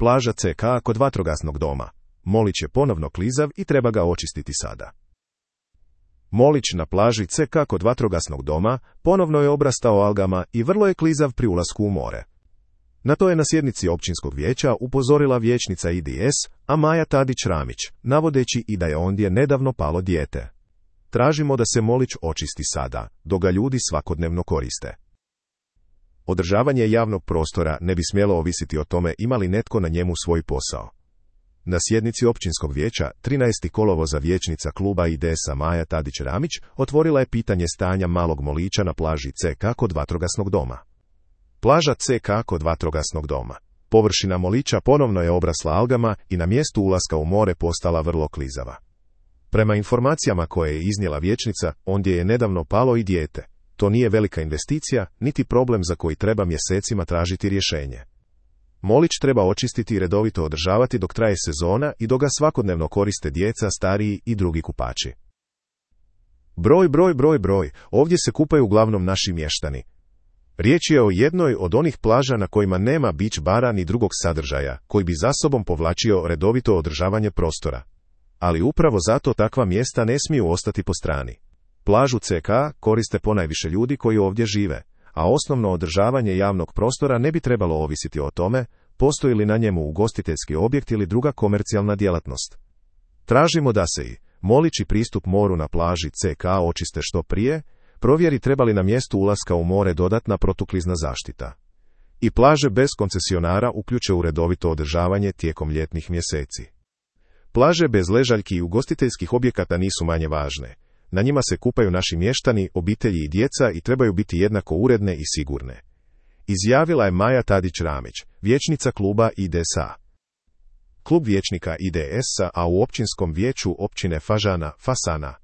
Plaža CK kod vatrogasnog doma. Molić je ponovno klizav i treba ga očistiti sada. Molić na plaži CK kod vatrogasnog doma ponovno je obrastao algama i vrlo je klizav pri ulasku u more. Na to je na sjednici općinskog vijeća upozorila vijećnica IDS, a Maja Tadić-Ramić, navodeći i da je ondje nedavno palo dijete. Tražimo da se Molić očisti sada, dok ga ljudi svakodnevno koriste. Održavanje javnog prostora ne bi smjelo ovisiti o tome ima li netko na njemu svoj posao. Na sjednici općinskog vijeća 13. kolovoza vijećnica kluba IDS-a Maja Tadić-Ramić otvorila je pitanje stanja malog Molića na plaži CK kod vatrogasnog doma. Plaža CK kod vatrogasnog doma. Površina Molića ponovno je obrasla algama i na mjestu ulaska u more postala vrlo klizava. Prema informacijama koje je iznijela vijećnica, ondje je nedavno palo i dijete. To nije velika investicija, niti problem za koji treba mjesecima tražiti rješenje. Molić treba očistiti i redovito održavati dok traje sezona i dok ga svakodnevno koriste djeca, stariji i drugi kupači. Broj, ovdje se kupaju uglavnom naši mještani. Riječ je o jednoj od onih plaža na kojima nema beach bara ni drugog sadržaja, koji bi za sobom povlačio redovito održavanje prostora. Ali upravo zato takva mjesta ne smiju ostati po strani. Plažu CK koriste ponajviše ljudi koji ovdje žive, a osnovno održavanje javnog prostora ne bi trebalo ovisiti o tome, postoji li na njemu ugostiteljski objekt ili druga komercijalna djelatnost. Tražimo da se i Molić i pristup moru na plaži CK očiste što prije, provjeri treba li na mjestu ulaska u more dodatna protuklizna zaštita. I plaže bez koncesionara uključe u redovito održavanje tijekom ljetnih mjeseci. Plaže bez ležaljki i ugostiteljskih objekata nisu manje važne. Na njima se kupaju naši mještani, obitelji i djeca i trebaju biti jednako uredne i sigurne. Izjavila je Maja Tadić-Ramić, vijećnica kluba IDS-a. Klub vijećnika IDS-a, a u općinskom vijeću općine Fasana